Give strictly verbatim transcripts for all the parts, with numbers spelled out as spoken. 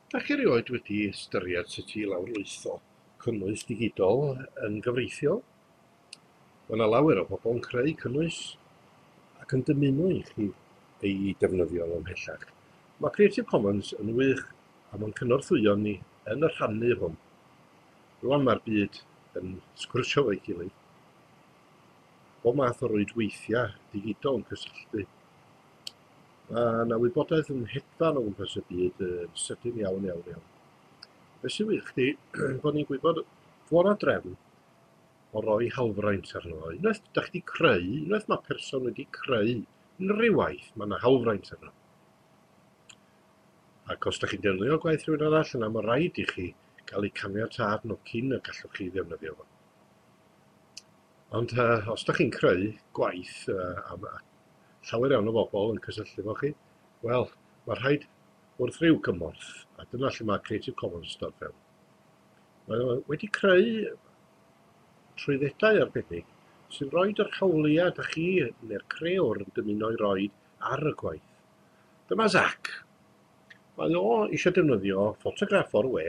Dach chi erioed wedi ystyried sut i lawrlwytho cynnwys digidol yn gyfreithiol? Mae yna lawer o bobl yn creu cynnwys ac yn dymuno i chi ei defnyddio nhw ymhellach. Mae Creative Commons yn wych a mae'n cynorthwyo ni yn y rhannu hwn. Rwan mae'r byd yn sgwrsio efo'i gilydd. Bob math o rwydweithiau digidol yn cysylltu. Mae yna wybodaeth yn hedfan o gwmpas y byd yn sydyn iawn, iawn, iawn. Be sy'n wych 'di bod ni'n gwybod fod 'na drefn o roi hawlfraint arno fo. Unwaith dach chi 'di creu, unwaith mae person wedi creu unrhyw waith, mae yna hawlfraint arno. Ac os dach chi'n defnyddio gwaith rhywun arall, yna mae rhaid i chi gael eu caniatâd nhw cyn y gallwch chi ddefnyddio fo. Ond uh, os dach chi'n creu gwaith uh, am llawer iawn o bobl yn cysylltu efo chi, wel, mae rhaid wrth ryw gymorth, a dyna lle mae Creative Commons dod fewn. Mae o wedi creu trwyddedau arbennig sy'n rhoi yr hawliau dach chi neu'r crëwr yn dymuno i roi ar y gwaith. Dyma Zach. Mae o eisiau defnyddio ffotograff o'r we,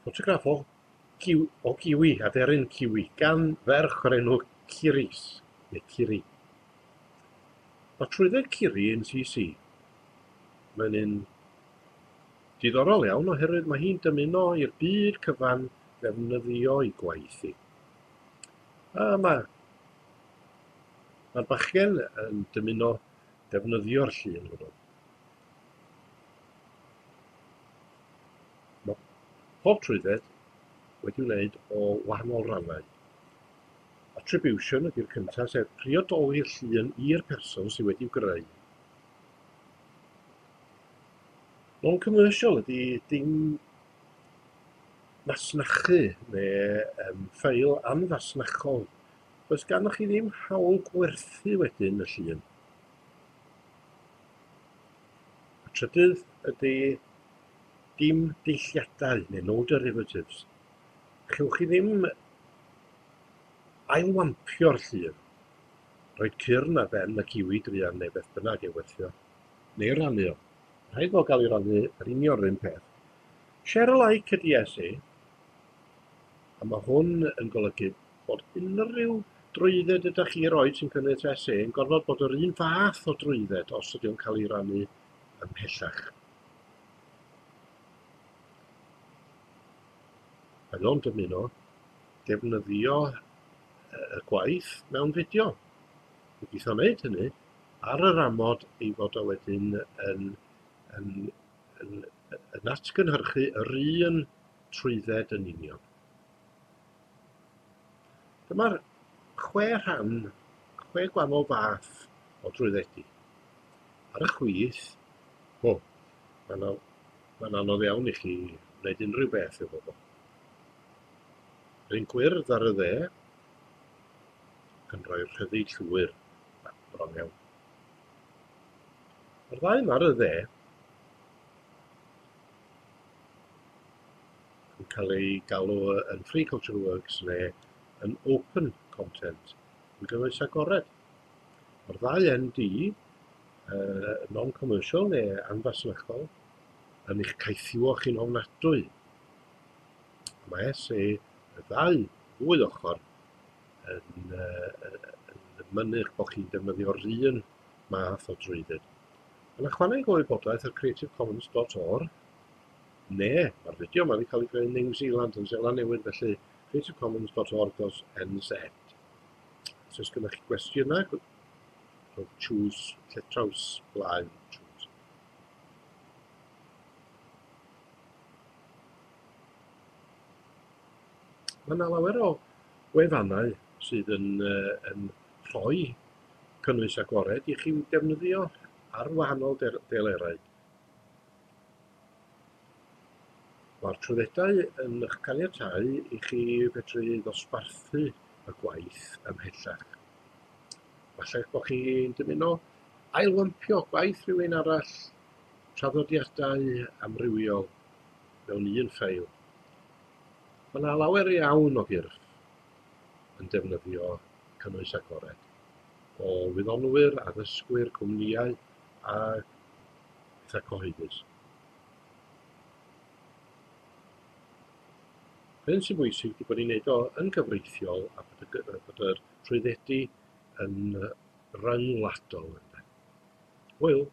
ffotograff o, kiw, o kiwi, aderyn kiwi, gan ferch o'r enw Kiris, neu Kiri. Mae trwydded Kiri yn C C. Mae'n un diddorol iawn oherwydd mae hi'n dymuno i'r byd cyfan ddefnyddio ei gwaith hi. A mae, mae'r bachgen yn dymuno defnyddio'r llun hwnnw. Mae pob trwydded wedi wneud o wahanol rannau. Attribution ydy'r cyntaf, sef priodoli'r llun i'r person sydd wedi'w greu. Non-commercial ydy dim masnachu neu um, ffeil anfasnachol. Does ganddoch chi ddim hawl gwerthu wedyn y llun. Y trydydd ydy dim deilliadau neu no derivatives. Chewch chi ddim ailwampio'r llun, rhoid cyrn ar ben y kiwi druan neu beth bynnag ei werthio, neu rannu o. Rhaid fo gael ei rannu yr union yr un peth. Share alike ydy S A, a mae hwn yn golygu bod unrhyw drwydded ydych chi roed sy'n cynnwys S A yn gorfod bod yr un fath o drwydded os ydy o'n cael ei rannu ymhellach. Mae o'n dymuno defnyddio y gwaith mewn fideo. Gobeithio wneud hynny ar yr amod ei fod o wedyn yn, yn, yn, yn atgynhyrchu yr un trwydded yn union. Dyma'r chwe rhan, chwe gwahanol fath o drwyddedu. Ar y chwith, o, mae'n mae'n anodd iawn i chi wneud unrhyw beth efo fo. Yr un gwyrdd ar y dde yn rhoi rhyddid llwyr, bron iawn. Mae'r ddau yma ar y dde yn cael ei galw yn Free Cultural Works neu yn Open Content, yn gynnwys agored. Mae'r ddau N D, uh, non-commercial neu anfasnachol, yn eich caethiwo chi'n ofnadwy. Mae S A, y ddau ddwy ochr, yn, uh, yn mynnu bod chi'n defnyddio'r un math o drwydded. Mae'n ychwaneg o wybodaeth ar creative commons dot org, neu mae'r fideo yma wedi cael ei greu yn New Zealand, yn Seland Newydd, felly creative commons dot org dot N Z. Os oes gennych chi gwestiynau, rhowch choose, lle traws blaen choose. Mae yna lawer o wefannau sydd yn, uh, yn rhoi cynnwys agored i chi defnyddio ar wahanol delerau. Mae'r trwyddedau yn eich caniatáu i chi fedru ddosbarthu y gwaith ymhellach. Falle bod chi'n dymuno ailwampio gwaith rhywun arall, traddodiadau amrywiol mewn un ffeil. Mae yna lawer iawn o gyrff yn defnyddio cynnwys agored, o wyddonwyr, addysgwyr, cwmnïau a pethau cyhoeddus. Be sy'n bwysig ydy bod ni'n neud o yn gyfreithiol a bod y, bod yr trwyddedu yn ryngwladol. Ynde. Hwyl!